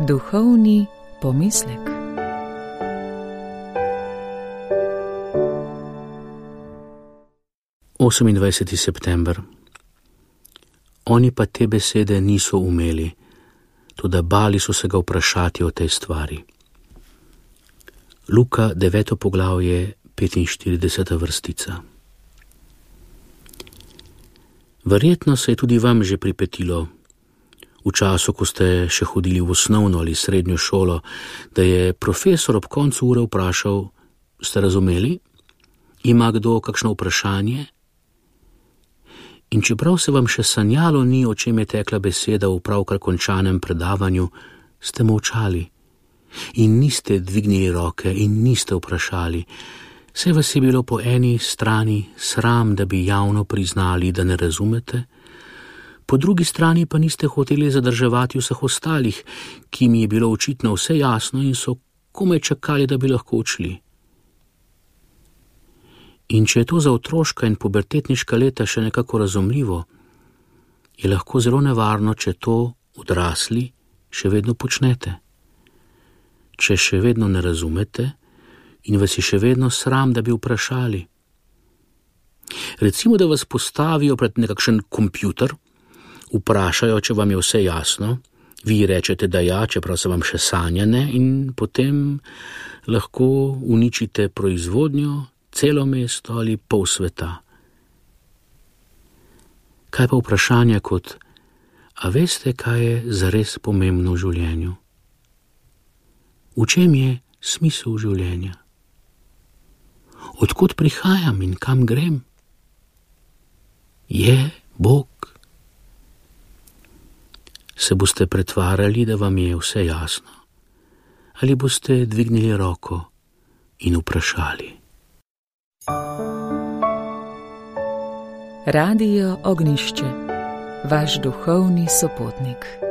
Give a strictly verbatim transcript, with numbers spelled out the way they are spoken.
Duhovni pomislek. osemindvajseti september. Oni pa te besede niso umeli, toda bali so se ga vprašati o tej stvari. Luka deveto poglavje, petinštirideseta vrstica. Verjetno se je tudi vam že pripetilo, v času, ko ste še hodili v osnovno ali srednjo šolo, da je profesor ob koncu ure vprašal: ste razumeli? Ima kdo kakšno vprašanje? In čeprav se vam še sanjalo ni, o čem je tekla beseda v pravkar končanem predavanju, ste molčali in niste dvignili roke in niste vprašali. Saj vas je bilo po eni strani sram, da bi javno priznali, da ne razumete, po drugi strani pa niste hoteli zadrževati vseh ostalih, ki mi je bilo očitno vse jasno in so komaj čakali, da bi lahko odšli. In če je to za otroška in pubertetniška leta še nekako razumljivo, je lahko zelo nevarno, če to odrasli še vedno počnete. Če še vedno ne razumete in vas je še vedno sram, da bi vprašali. Recimo, da vas postavijo pred nekakšen kompjuter, vprašajo, če vam je vse jasno, vi rečete, da ja, čeprav se vam še sanja ne, in potem lahko uničite proizvodnjo, celo mesto ali pol sveta. Kaj pa vprašanja kot: a veste, kaj je zares pomembno v življenju? V čem je smisel življenja? Odkot prihajam in kam grem? Je Bog? Se boste pretvarjali, da vam je vse jasno, ali boste dvignili roko in vprašali? Radio Ognjišče, vaš duhovni sopotnik.